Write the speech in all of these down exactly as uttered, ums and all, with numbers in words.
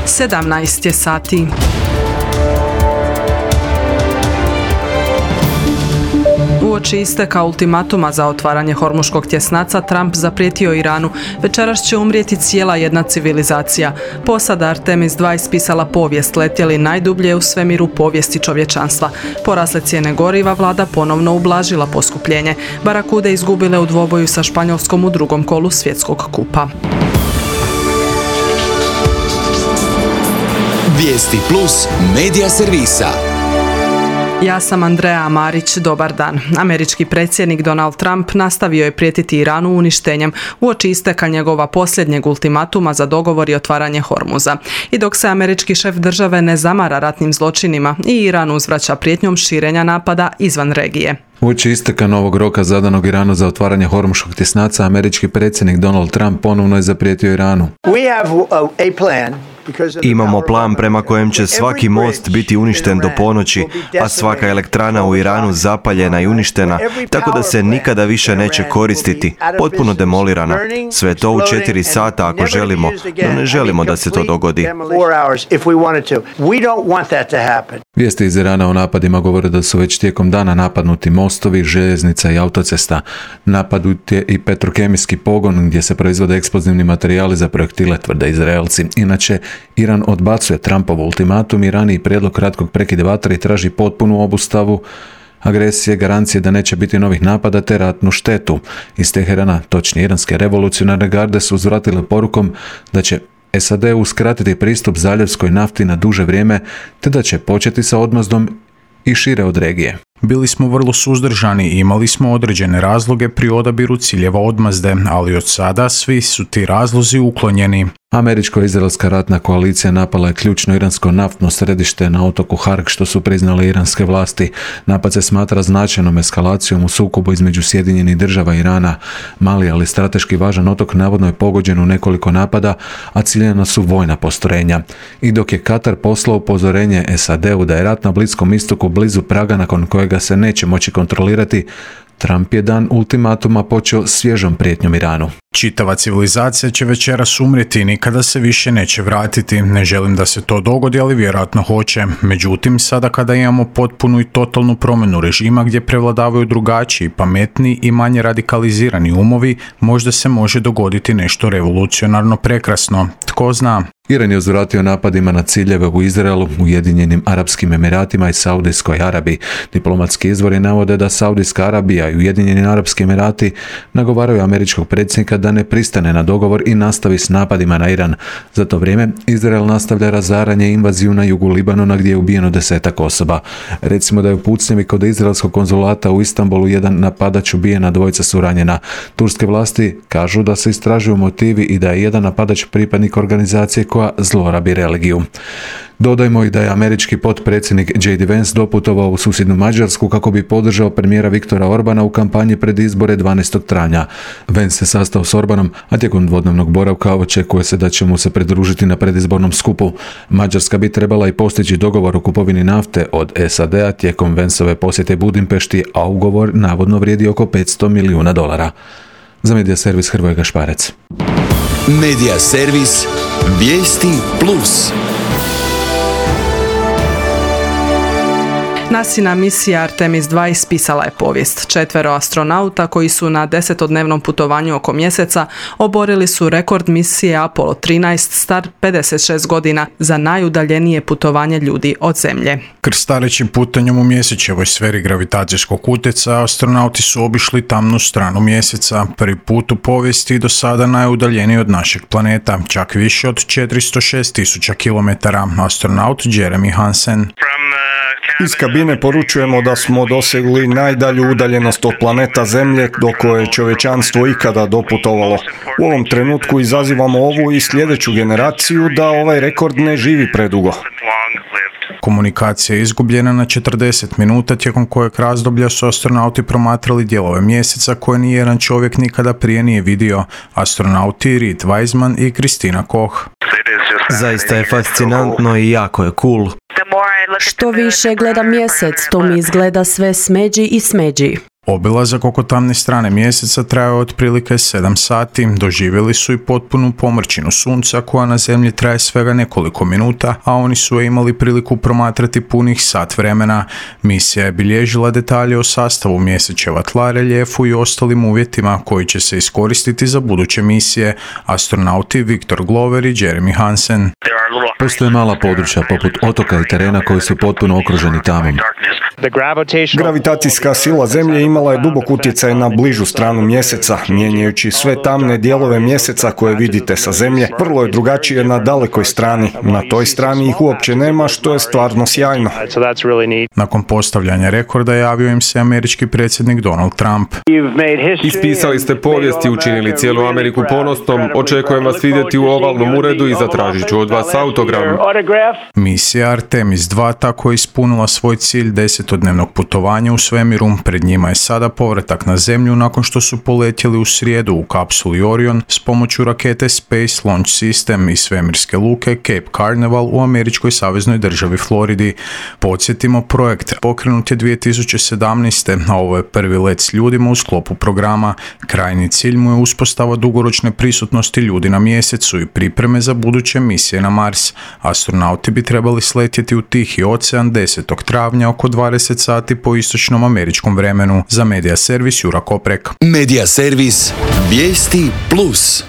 sedamnaest je sati. Uoči isteka ultimatuma za otvaranje Hormuškog tjesnaca, Trump zaprijetio Iranu: večeras će umrijeti cijela jedna civilizacija. Posada Artemis dva ispisala povijest, letjeli najdublje u svemiru povijesti čovječanstva. Porasle cijene goriva, vlada ponovno ublažila poskupljenje. Barakude izgubile u dvoboju sa Španjolskom u drugom kolu svjetskog kupa. Vijesti plus medija servisa. Ja sam Andreja Marić, dobar dan. Američki predsjednik Donald Trump nastavio je prijetiti Iranu uništenjem uoči isteka njegova posljednjeg ultimatuma za dogovor i otvaranje Hormuza. I dok se američki šef države ne zamara ratnim zločinima, i Iran uzvraća prijetnjom širenja napada izvan regije. Uoči isteka novog roka zadanog Iranu za otvaranje Hormuškog tjesnaca, američki predsjednik Donald Trump ponovno je zaprijetio Iranu. Imamo plan prema kojem će svaki most biti uništen do ponoći, a svaka elektrana u Iranu zapaljena i uništena, tako da se nikada više neće koristiti, potpuno demolirana. Sve to u četiri sata ako želimo, no ne želimo da se to dogodi. Vijesti iz Irana o napadima govore da su već tijekom dana napadnuti mostovi, željeznica i autocesta. Napadnut je i petrokemijski pogon gdje se proizvode eksplozivni materijali za projektile, tvrde Izraelci. Inače, Iran odbacuje Trumpov ultimatum i raniji prijedlog kratkog prekida vatre i traži potpunu obustavu agresije, garancije da neće biti novih napada te ratnu štetu. Iz Teherana, točnije iranske revolucionarne garde, su uzvratile porukom da će S A D uskratiti pristup zaljevskoj nafti na duže vrijeme, te da će početi sa odmazdom i šire od regije. Bili smo vrlo suzdržani i imali smo određene razloge pri odabiru ciljeva odmazde, ali od sada svi su ti razlozi uklonjeni. Američko-izraelska ratna koalicija napala je ključno iransko naftno središte na otoku Hark, što su priznale iranske vlasti. Napad se smatra značajnom eskalacijom u sukobu između Sjedinjenih Država i Irana. Mali, ali strateški važan otok navodno je pogođen u nekoliko napada, a ciljena su vojna postrojenja. I dok je Katar poslao upozorenje S A D-u da je rat na Bliskom istoku blizu praga nakon kojega se neće moći kontrolirati, Trump je dan ultimatuma počeo svježom prijetnjom Iranu. Čitava civilizacija će večeras umrijeti i nikada se više neće vratiti. Ne želim da se to dogodi, ali vjerojatno hoće. Međutim, sada kada imamo potpunu i totalnu promjenu režima gdje prevladavaju drugačiji, pametniji i manje radikalizirani umovi, možda se može dogoditi nešto revolucionarno prekrasno. Tko zna? Iran je uzvratio napadima na ciljeve u Izraelu, Ujedinjenim Arapskim Emiratima i Saudijskoj Arabiji. Diplomatski izvori navode da Saudijska Arabija i Ujedinjeni Arapski Emirati nagovaraju američkog predsjednika da ne pristane na dogovor i nastavi s napadima na Iran. Za to vrijeme Izrael nastavlja razaranje i invaziju na jugu Libanona gdje je ubijeno desetak osoba. Recimo da je u pucnjevi kod izraelskog konzulata u Istanbulu jedan napadač ubijen, a dvojica su ranjena. Turske vlasti kažu da se istražuju motivi i da je jedan napadač pripadnik organizacije koja zlorabi religiju. Dodajmo i da je američki potpredsjednik J D Vance doputovao u susjednu Mađarsku kako bi podržao premijera Viktora Orbana u kampanji pred izbore dvanaestog travnja. Vance se sastao s Orbanom, a tijekom dvodnevnog boravka očekuje se da će mu se pridružiti na predizbornom skupu. Mađarska bi trebala i postići dogovor o kupovini nafte od S A D-a tijekom Vanceove posjete Budimpešti, a ugovor navodno vrijedi oko petsto milijuna dolara. Za Medija servis Hrvoje Gašparec. Medija servis Vijesti plus. NASIna misija Artemis dva ispisala je povijest. Četvero astronauta koji su na desetodnevnom putovanju oko mjeseca oborili su rekord misije Apollo trinaest star pedeset šest godina za najudaljenije putovanje ljudi od Zemlje. Krstarećim putanjem u mjesečevoj sferi gravitacijskog utjecaja astronauti su obišli tamnu stranu mjeseca. Prvi put u povijesti do sada najudaljeniji od našeg planeta, čak više od četiristo šest tisuća kilometara. Astronaut Jeremy Hansen. Iz kabine poručujemo da smo dosegli najdalju udaljenost od planeta Zemlje do koje je čovječanstvo ikada doputovalo. U ovom trenutku izazivamo ovu i sljedeću generaciju da ovaj rekord ne živi predugo. Komunikacija je izgubljena na četrdeset minuta, tijekom kojeg razdoblja su astronauti promatrali dijelove mjeseca koje nijedan čovjek nikada prije nije vidio. Astronauti Reed Wiseman i Kristina Koch. Zaista je fascinantno i jako je cool. Što više gledam mjesec, to mi izgleda sve smeđi i smeđi. Obilazak oko tamne strane mjeseca trajao je otprilike sedam sati, doživjeli su i potpunu pomrčinu sunca koja na zemlji traje svega nekoliko minuta, a oni su je imali priliku promatrati punih sat vremena. Misija je bilježila detalje o sastavu mjesečeva tla, reljefu i ostalim uvjetima koji će se iskoristiti za buduće misije. Astronauti Viktor Glover i Jeremy Hansen. Postoje mala područja poput otoka i terena koji su potpuno okruženi tamom. Gravitacijska sila Zemlje imala je dubok utjecaj na bližu stranu mjeseca, mijenjajući sve tamne dijelove mjeseca koje vidite sa Zemlje. Vrlo je drugačije na dalekoj strani. Na toj strani ih uopće nema, što je stvarno sjajno. Nakon postavljanja rekorda javio im se američki predsjednik Donald Trump. Ispisali ste povijest i učinili cijelu Ameriku ponosnom. Očekujem vas vidjeti u ovalnom uredu i zatražit ću od vas autogram. Misija Artemis dva tako je ispunila svoj cilj desetodnevnog putovanja u svemiru. Pred njima je sada povratak na Zemlju nakon što su poletjeli u srijedu u kapsuli Orion s pomoću rakete Space Launch System i svemirske luke Cape Canaveral u američkoj saveznoj državi Floridi. Podsjetimo, projekt pokrenut je dvije tisuće sedamnaeste. a ovo je prvi let s ljudima u sklopu programa. Krajnji cilj mu je uspostava dugoročne prisutnosti ljudi na mjesecu i pripreme za buduće misije na Mars. Astronauti bi trebali sletjeti u Tihi ocean desetog travnja oko dvadeset sati po istočnom američkom vremenu. Za Medija servis Jura Koprek. Medija servis Vijesti plus.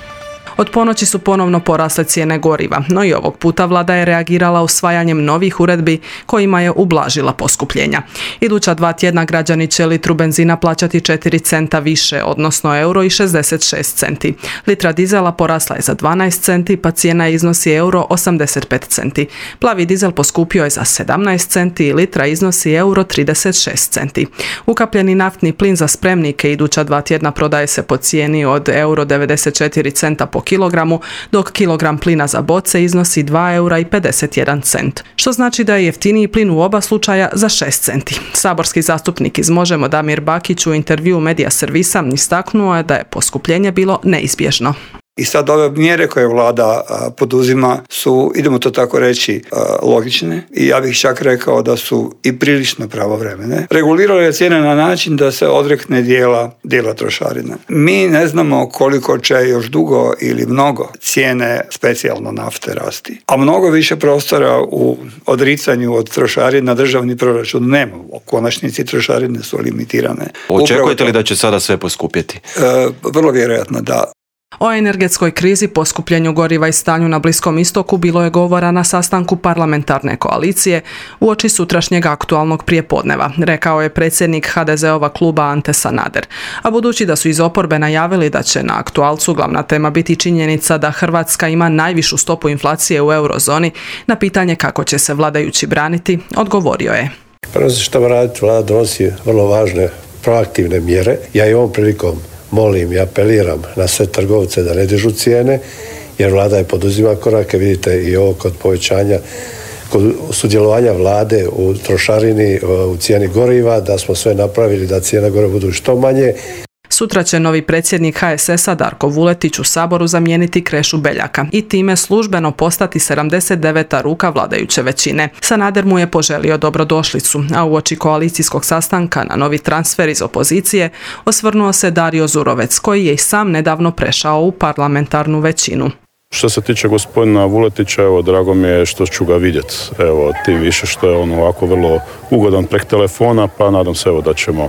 Od ponoći su ponovno porasle cijene goriva, no i ovog puta vlada je reagirala usvajanjem novih uredbi kojima je ublažila poskupljenja. Iduća dva tjedna građani će litru benzina plaćati četiri centa više, odnosno euro i šezdeset šest centi. Litra dizela porasla je za dvanaest centi, pa cijena iznosi euro osamdeset pet centi. Plavi dizel poskupio je za sedamnaest centi i litra iznosi euro trideset šest centi. Ukapljeni naftni plin za spremnike iduća dva tjedna prodaje se po cijeni od euro devedeset četiri centa po kilogramu, dok kilogram plina za boce iznosi dva eura i pedeset jedan cent, što znači da je jeftiniji plin u oba slučaja za šest centi. Saborski zastupnik iz Možemo Damir Bakić u intervjuu Medija servisa istaknuo je da je poskupljenje bilo neizbježno. I sad ove mjere koje vlada a, poduzima su, idemo to tako reći, a, logične i ja bih čak rekao da su i prilično pravovremene. Regulirala je cijene na način da se odrekne dijela, dijela trošarine. Mi ne znamo koliko će još dugo ili mnogo cijene specijalno nafte rasti, a mnogo više prostora u odricanju od trošarina državni proračun nema. U konačnici trošarine su limitirane. Očekujete li da će sada sve poskupjeti? E, vrlo vjerojatno da. O energetskoj krizi, poskupljenju goriva i stanju na Bliskom istoku bilo je govora na sastanku parlamentarne koalicije uoči sutrašnjeg aktualnog prijepodneva, rekao je predsjednik ha de ze-ova kluba Ante Sanader. A budući da su iz oporbe najavili da će na aktualcu glavna tema biti činjenica da Hrvatska ima najvišu stopu inflacije u eurozoni, na pitanje kako će se vladajući braniti, odgovorio je. Prvo se što raditi, vlada donosi vrlo važne proaktivne mjere. Ja i ovom prilikom molim i apeliram na sve trgovce da ne dižu cijene, jer vlada je poduzima korake, vidite i ovo kod povećanja, kod sudjelovanja vlade u trošarini, u cijeni goriva, da smo sve napravili da cijene goriva budu što manje. Sutra će novi predsjednik ha es es-a Darko Vuletić u Saboru zamijeniti Krešu Beljaka i time službeno postati sedamdeset deveta ruka vladajuće većine. Sanader mu je poželio dobrodošlicu, a uoči koalicijskog sastanka na novi transfer iz opozicije osvrnuo se Dario Zurovec, koji je i sam nedavno prešao u parlamentarnu većinu. Što se tiče gospodina Vuletića, evo, drago mi je što ću ga vidjeti. Evo, tim više što je on ovako vrlo ugodan prek telefona, pa nadam se evo da ćemo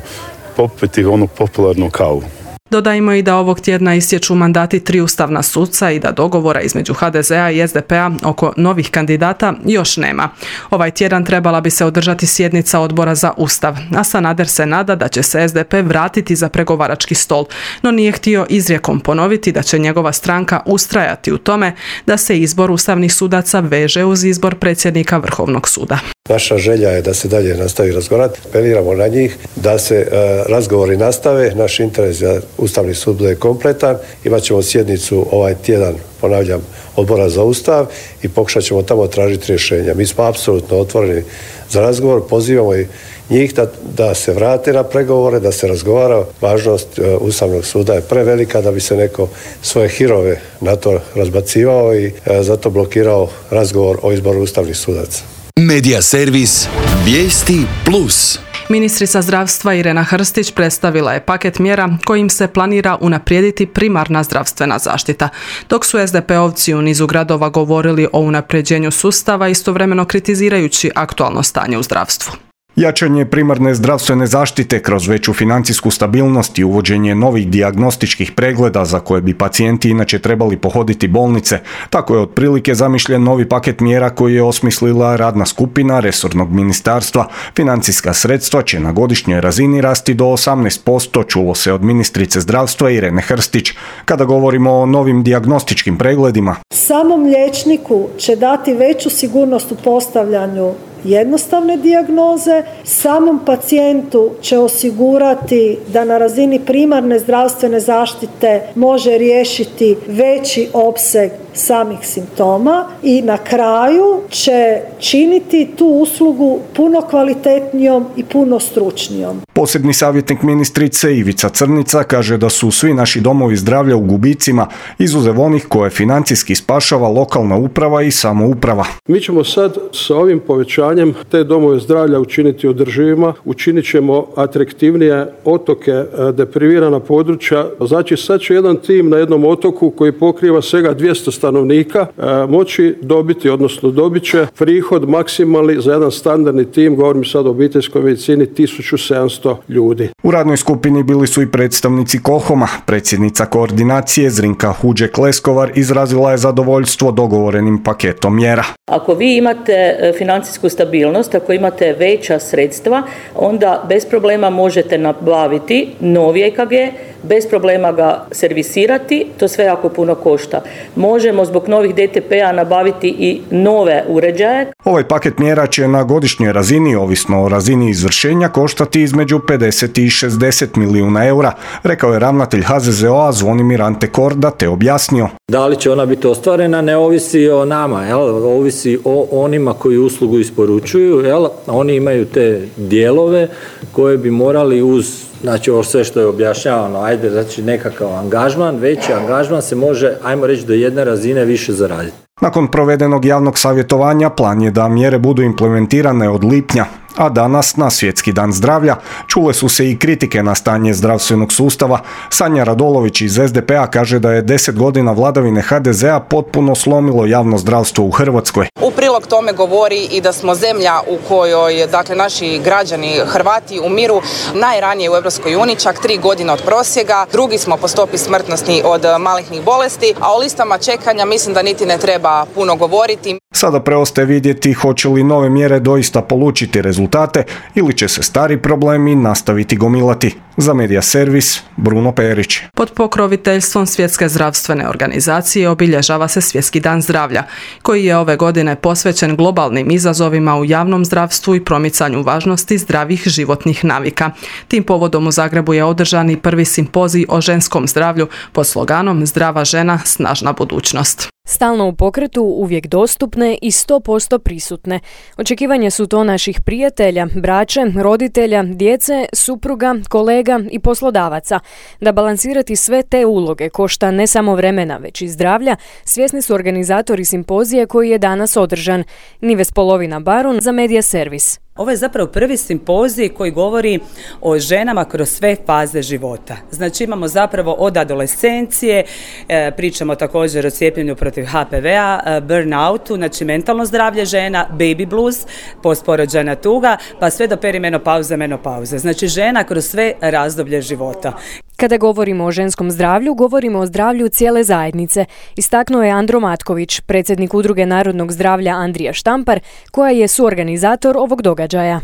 popiti onu popularnu kavu. Dodajmo i da ovog tjedna istječu mandati tri ustavna suca i da dogovora između ha de ze-a i es de pe-a oko novih kandidata još nema. Ovaj tjedan trebala bi se održati sjednica odbora za Ustav, a Sanader se nada da će se es de pe vratiti za pregovarački stol, no nije htio izrijekom ponoviti da će njegova stranka ustrajati u tome da se izbor ustavnih sudaca veže uz izbor predsjednika Vrhovnog suda. Naša želja je da se dalje nastavi razgovarati, apeliramo na njih da se e, razgovori nastave, naš interes da Ustavni sud bude kompletan, imat ćemo sjednicu ovaj tjedan, ponavljam, odbora za Ustav i pokušat ćemo tamo tražiti rješenja. Mi smo apsolutno otvoreni za razgovor, pozivamo i njih da, da se vrate na pregovore, da se razgovara. Važnost e, Ustavnog suda je prevelika da bi se neko svoje hirove na to razbacivao i e, zato blokirao razgovor o izboru ustavnih sudaca. Medija servis Vijesti plus. Ministrica zdravstva Irena Hrstić predstavila je paket mjera kojim se planira unaprijediti primarna zdravstvena zaštita. Dok su es de pe-ovci u nizu gradova govorili o unapređenju sustava, istovremeno kritizirajući aktualno stanje u zdravstvu. Jačanje primarne zdravstvene zaštite kroz veću financijsku stabilnost i uvođenje novih dijagnostičkih pregleda za koje bi pacijenti inače trebali pohoditi bolnice. Tako je otprilike zamišljen novi paket mjera koji je osmislila radna skupina resornog ministarstva. Financijska sredstva će na godišnjoj razini rasti do osamnaest posto, čulo se od ministrice zdravstva Irene Hrstić. Kada govorimo o novim dijagnostičkim pregledima, samom liječniku će dati veću sigurnost u postavljanju jednostavne dijagnoze, samom pacijentu će osigurati da na razini primarne zdravstvene zaštite može riješiti veći opseg samih simptoma i na kraju će činiti tu uslugu puno kvalitetnijom i puno stručnijom. Posebni savjetnik ministrice Ivica Crnica kaže da su svi naši domovi zdravlja u gubicima, izuzev onih koje financijski spašava lokalna uprava i samouprava. Mi ćemo sad sa ovim povećanjem te domove zdravlja učiniti održivima, učinit ćemo atraktivnije otoke, deprivirana područja. Znači sad će jedan tim na jednom otoku koji pokriva svega dvjesto stanovnika moći dobiti, odnosno dobit će prihod maksimalni za jedan standardni tim, govorim sad o obiteljskoj medicini, tisuću sedamsto ljudi. U radnoj skupini bili su i predstavnici KoHOM-a. Predsjednica koordinacije Zrinka Huđek-Leskovar izrazila je zadovoljstvo dogovorenim paketom mjera. Ako vi imate financijsku stabilnost, ako imate veća sredstva, onda bez problema možete nabaviti novi e ka ge, bez problema ga servisirati, to sve jako puno košta. Možemo zbog novih de te pe-a nabaviti i nove uređaje. Ovaj paket mjera će na godišnjoj razini, ovisno o razini izvršenja, koštati između pedeset i šezdeset milijuna eura, rekao je ravnatelj ha ze ze o-a Zvonimir Ante Korda, te objasnio. Da li će ona biti ostvarena ne ovisi o nama, jel? Ovisi o onima koji uslugu isporučuju, jel? Oni imaju te dijelove koje bi morali uz, znači ovo sve što je objašnjavano, ajde, znači nekakav angažman, veći angažman se može, ajmo reći, do jedne razine više zaraditi. Nakon provedenog javnog savjetovanja plan je da mjere budu implementirane od lipnja, a danas, na Svjetski dan zdravlja, čule su se i kritike na stanje zdravstvenog sustava. Sanja Radolović iz es de pe-a kaže da je deset godina vladavine ha de ze-a potpuno slomilo javno zdravstvo u Hrvatskoj. U prilog tome govori i da smo zemlja u kojoj, dakle, naši građani Hrvati umiru najranije u Europskoj uniji, čak tri godine od prosjeka. Drugi smo po stopi smrtnosti od malignih bolesti, a o listama čekanja mislim da niti ne treba puno govoriti. Sada preostaje vidjeti hoće li nove mjere doista polučiti rezultate ili će se stari problemi nastaviti gomilati. Za Medija servis, Bruno Perić. Pod pokroviteljstvom Svjetske zdravstvene organizacije obilježava se Svjetski dan zdravlja, koji je ove godine posvećen globalnim izazovima u javnom zdravstvu i promicanju važnosti zdravih životnih navika. Tim povodom u Zagrebu je održan i prvi simpozij o ženskom zdravlju pod sloganom Zdrava žena, snažna budućnost. Stalno u pokretu, uvijek dostupne i sto posto prisutne. Očekivanja su to naših prijatelja, braće, roditelja, djece, supruga, kolega i poslodavaca. Da balansirati sve te uloge košta ne samo vremena, već i zdravlja, svjesni su organizatori simpozije koji je danas održan. Nives Polovina Barun za Medija servis. Ovo je zapravo prvi simpozij koji govori o ženama kroz sve faze života. Znači imamo zapravo od adolescencije, e, pričamo također o cijepljenju protiv ha pe ve-a, burnoutu, znači mentalno zdravlje žena, baby blues, postporođajna tuga, pa sve do perimenopauze, menopauze. Znači žena kroz sve razdoblje života. Kada govorimo o ženskom zdravlju, govorimo o zdravlju cijele zajednice, istaknuo je Andro Matković, predsjednik Udruge narodnog zdravlja Andrija Štampar, koja je suorganizator ovog događaja.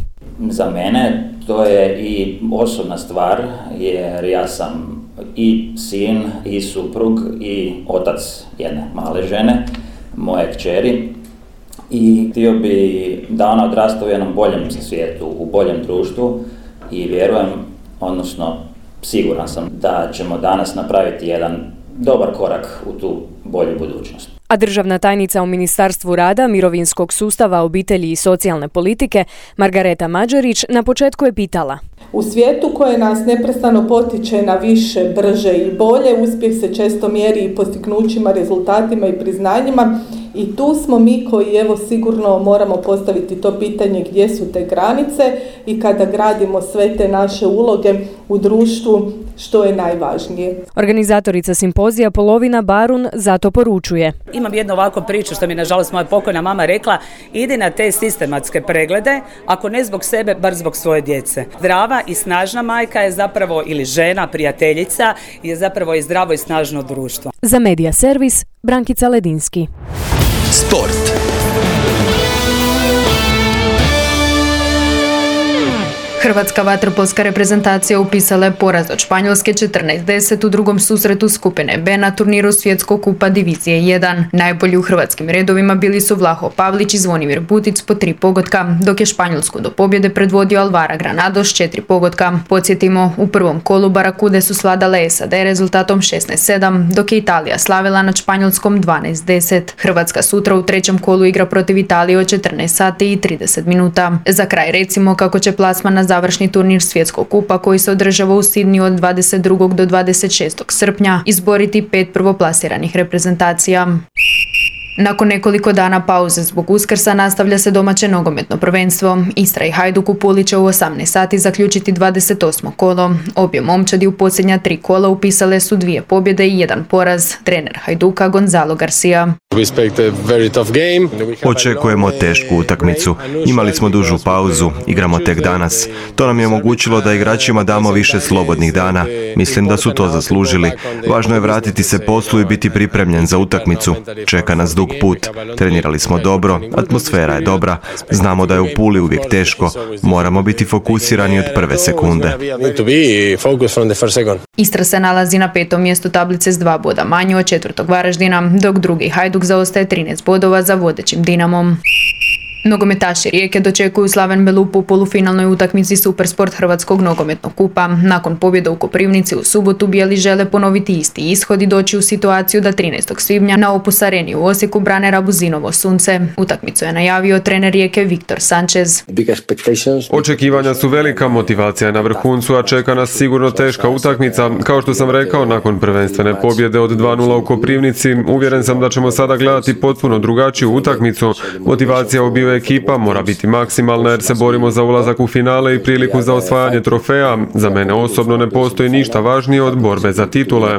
Za mene to je i osobna stvar, jer ja sam i sin, i suprug, i otac jedne male žene, moje kćeri, i htio bi da ona odrasta u jednom boljem svijetu, u boljem društvu, i vjerujem, odnosno siguran sam da ćemo danas napraviti jedan dobar korak u tu bolju budućnost. A državna tajnica u Ministarstvu rada, mirovinskog sustava, obitelji i socijalne politike, Margareta Mađerić, na početku je pitala. U svijetu koje nas neprestano potiče na više, brže i bolje, uspjeh se često mjeri i postignućima, rezultatima i priznanjima i tu smo mi koji evo sigurno moramo postaviti to pitanje gdje su te granice i kada gradimo sve te naše uloge u društvu što je najvažnije. Organizatorica simpozija Polovina Barun zato poručuje. Imam jednu ovako priču što mi nažalost moja pokojna mama rekla, idi na te sistematske preglede, ako ne zbog sebe, bar zbog svoje djece. Zdrava i snažna majka je zapravo, ili žena, prijateljica, je zapravo i zdravo i snažno društvo. Za Medija servis, Brankica Ledinski. Sport. Hrvatska vaterpolska reprezentacija upisala je poraz od Španjolske četrnaest deset u drugom susretu skupine B na turniru Svjetskog kupa divizije jedan. Najbolji u hrvatskim redovima bili su Vlaho Pavlić i Zvonimir Butic po tri pogotka, dok je Španjolsku do pobjede predvodio Alvaro Granado s četiri pogotka. Podsjetimo, u prvom kolu Barakude su svladale S A D rezultatom šesnaest sedam, dok je Italija slavila nad Španjolskom dvanaest deset. Hrvatska sutra u trećem kolu igra protiv Italije od četrnaest sati i trideset minuta. Za kraj recimo kako će plasman na završni turnir Svjetskog kupa koji se održava u Sidniju od dvadeset drugog do dvadeset šestog srpnja izboriti pet prvoplasiranih reprezentacija. Nakon nekoliko dana pauze zbog Uskrsa nastavlja se domaće nogometno prvenstvo. Istra i Hajduk u Puli će u osamnaest sati zaključiti dvadeset osmo kolo. Obje momčadi u posljednja tri kola upisale su dvije pobjede i jedan poraz. Trener Hajduka Gonzalo Garcia. Očekujemo tešku utakmicu. Imali smo dužu pauzu, igramo tek danas. To nam je omogućilo da igračima damo više slobodnih dana. Mislim da su to zaslužili. Važno je vratiti se poslu i biti pripremljen za utakmicu. Čeka nas dug put. Trenirali smo dobro, atmosfera je dobra. Znamo da je u Puli uvijek teško. Moramo biti fokusirani od prve sekunde. Istra se nalazi na petom mjestu tablice s dva boda manje od četvrtog Varaždina, dok drugi Hajduk zaostaje trinaest bodova za vodećim Dinamom. Nogometaši Rijeke dočekuju Slaven Belupu u polufinalnoj utakmici Supersport Hrvatskog nogometnog kupa. Nakon pobjede u Koprivnici u subotu bijeli žele ponoviti isti ishod i doći u situaciju da trinaestog svibnja na Opus Areni u Osijeku brane Rabuzinovo sunce. Utakmicu je najavio trener Rijeke Viktor Sanchez. Očekivanja su velika, motivacija je na vrhuncu, a čeka nas sigurno teška utakmica. Kao što sam rekao, nakon prvenstvene pobjede od dva nula u Koprivnici, uvjeren sam da ćemo sada gledati potpuno drugačiju utakmicu. Motivacija obiju ekipa mora biti maksimalna jer se borimo za ulazak u finale i priliku za osvajanje trofeja. Za mene osobno ne postoji ništa važnije od borbe za titule.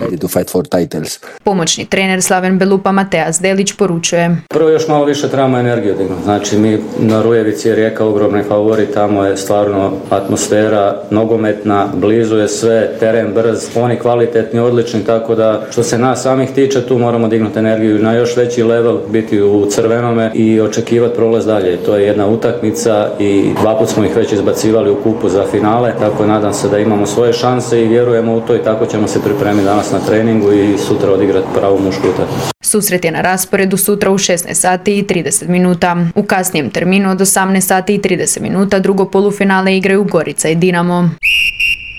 Pomoćni trener Slaven Belupa Mateja Zdelić poručuje. Prvo još malo više trebamo energiju dignuti. Znači mi na Rujevici je Rijeka ogromni favorit, tamo je stvarno atmosfera nogometna, blizu je sve, teren brz, oni kvalitetni, odlični, tako da što se nas samih tiče tu moramo dignuti energiju na još veći level, biti u crvenome i očekivati prolaz dalje. To je jedna utakmica i dva put smo ih već izbacivali u kupu za finale, tako nadam se da imamo svoje šanse i vjerujemo u to i tako ćemo se pripremiti danas na treningu i sutra odigrati pravu mušku utakmicu. Susret je na rasporedu sutra u šesnaest sati i trideset minuta. U kasnijem terminu od osamnaest sati i trideset minuta drugo polufinale igraju Gorica i Dinamo.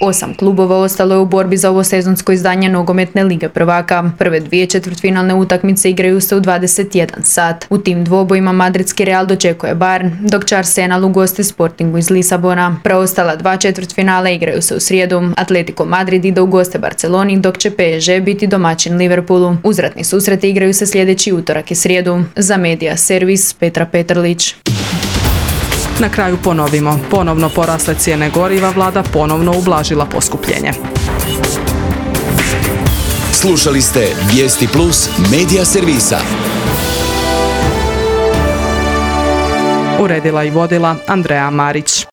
Osam klubova ostalo je u borbi za ovo sezonsko izdanje nogometne lige prvaka. Prve dvije četvrtfinalne utakmice igraju se u dvadeset jedan sat. U tim dvobojima madridski Real dočekuje Bayern, dok će Arsenal ugosti Sportingu iz Lisabona. Preostala dva četvrtfinala igraju se u srijedu. Atletico Madrid ide u goste Barceloni, dok će P S G biti domaćin Liverpoolu. Uzvratni susreti igraju se sljedeći utorak i srijedu. Za Medija servis Petra Petrlić. Na kraju ponovimo, ponovno porasle cijene goriva, vlada ponovno ublažila poskupljenje. Slušali ste Vijesti Plus Medija servisa. Uredila i vodila Andreja Marić.